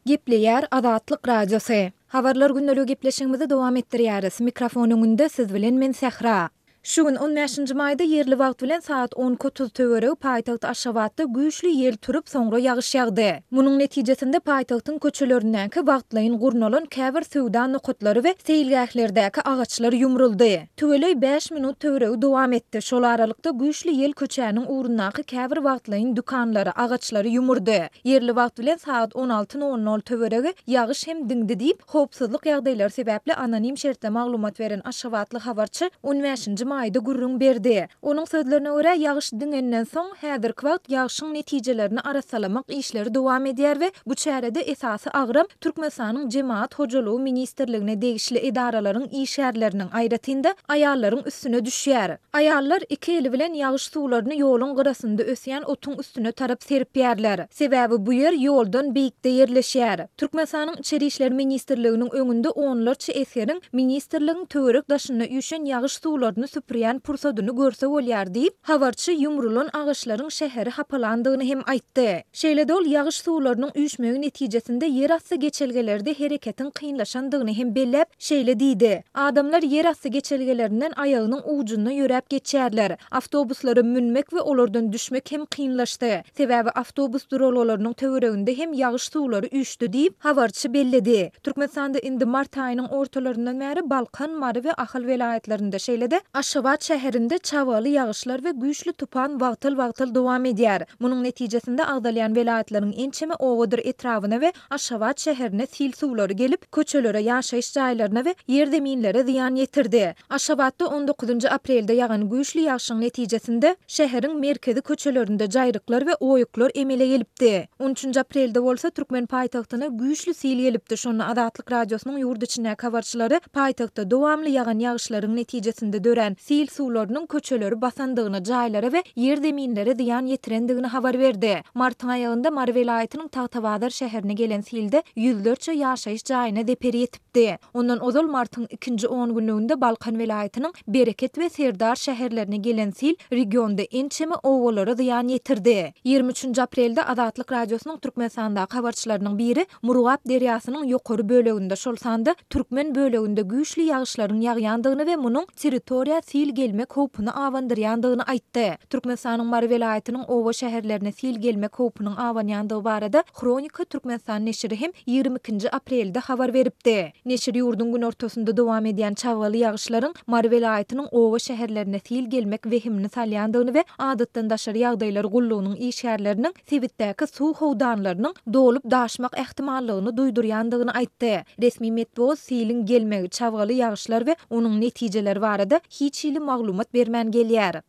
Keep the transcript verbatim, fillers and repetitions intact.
Gepleýär Azatlyk Radiosy. Habarlar gündeligi gepleşigimizi dowam etdirýäris. Mikrofon öňünde siz bilen men Sähra. Şu gün on bäşinji maýda ýerli wagt bilen sagat on iki otuz töweregi paýtagt Aşgabatda güýçli ýel turup, soňra ýagyş ýagdy. Munuň netijesinde paýtagtyň köçelerindäki wagtlaýyn gurnalan käbir söwda nokatlary we seýilgählerdäki agaçlar ýumruldy. Tüweleý bäş minut töweregi dowam etdi. Şol aralykda güýçli ýel köçäniň ugrundaky käbir wagtlaýyn dükanlary, agaçlary ýumurdy. Ýerli wagt bilen sagat on alty nol nol töweregi ýagyş hem diňdi diýip, howpsuzlyk ýagdaýlary sebäpli anonim şertde maglumat beren aşgabatly habarçy on bäşinji maýda gürrüň berdi. Onuň sözlerine görä, ýagyş diňenden soň, häzirki wagt ýagşyň netijelerini arassalamak işleri dowam edýär we bu çärede esasy agram Türkmenistanyň Jemagat hojalygy ministrligine degişli edaralaryň işgärleriniň, aýratyn-da, aýallaryň üstüne düşýär. Aýallar iki eli bilen ýagyş suwlaryny ýoluň gyrasynda ösýän otuň üstüne tarap serpýärler. Sebäbi bu ýer ýoldan beýikde ýerleşýär. Türkmenistanyň Içeri işler ministrliginiň öňünde onlarça esgeriň ministrligiň töwerek daşynda üýşen ýagyş suwlaryny süpürýän pursadyny görse bolýar diýip, habarçy ýumrulan agaçlaryň şäheri hapalandygyny hem aýtdy. Şeýle-de ol ýagyş suwlarynyň üýşmegi netijesinde ýerasty geçelgelerde hereketiň kynlaşandygyny hem belläp, şeýle diýdi, Adamlar ýerasty geçelgelerinden aýagynyň ujunda ýöräp geçýärler. Awtobuslara münmek we olardan düşmek hem kynlaşdy. Sebäbi awtobus duralgalarynyň töwereginde hem ýagyş suwlary üýşdi diýip, habarçy belledi. Türkmenistanda indi mart aýynyň ortalaryndan bäri Balkan, Mary we Ahal welaýatlarynda, şeýle-de Aşgabat şäherinde çabgaly ýagyşlar we güýçli tupan wagtal-wagtal dowam edýär. Munuň netijesinde agzalýan welaýatlaryň ençeme obadyr etrabyna we Aşgabat şäherine sil suwlary gelip, köçelere, ýaşaýyş jaýlaryna we ýerzeminlere zyýan ýetirdi. Aşgabatda on dokuzynjy aprelde ýagan güýçli ýagşyň netijesinde şäheriň merkezi köçelerinde jaýryklar we oýuklar emele gelipdi. On üçünji aprelde bolsa türkmen paýtagtyna güýçli sil gelipdi. Şonda Azatlyk Radiosynyň ýurt içindäki habarçylary paýtagtda dowamly ýagan ýagyşlaryň netijesinde dörän sil suwlarynyň köçeleri basandygyny, jaýlara we ýerzeminlere zyýan ýetirendigini habar berdi. Martyň aýagynda Mary welaýatynyň Tagtabazar şäherine gelen silde ýüzlerçe ýaşaýyş jaýyna zeper ýetipdi. Ondan ozal martyň ikinji on günlüginde Balkan welaýatynyň Bereket we Serdar şäherlerine gelen sil regionda ençeme obalara zyýan ýetirdi. Ýigrimi üçünji aprelde Azatlyk Radiosynyň Türkmenistandaky habarçylarynyň biri Murgap derýasynyň ýokary böleginde, şol sanda türkmen böleginde güýçli ýagyşlaryň ýagýandygyny we munuň territoriýa sil gelmek howpuny abandyrýandygyny aýtdy. Türkmenistanyň Mary welaýatynyň oba-şäherlerine sil gelmek howpunyň abanýandygy barada Hronika Türkmenistan neşiri hem ýigrimi ikinji aprelde habar beripdi. Neşir ýurduň günortasynda dowam edýän çabgaly ýagyşlaryň Mary welaýatynyň oba-şäherlerine sil gelmek wehimini salýandygyny we Adatdan daşary ýagdaýlar gullugynyň işgärleriniň sebitdäki suw howdanlarynyň dolup-daşmak ähtimallygyny duýdurýandygyny aýtdy. Resmi metbugat siliň gelmegi, çabgaly ýagyşlar we onuň netijeleri barada hiç hili maglumat bermän gelýär.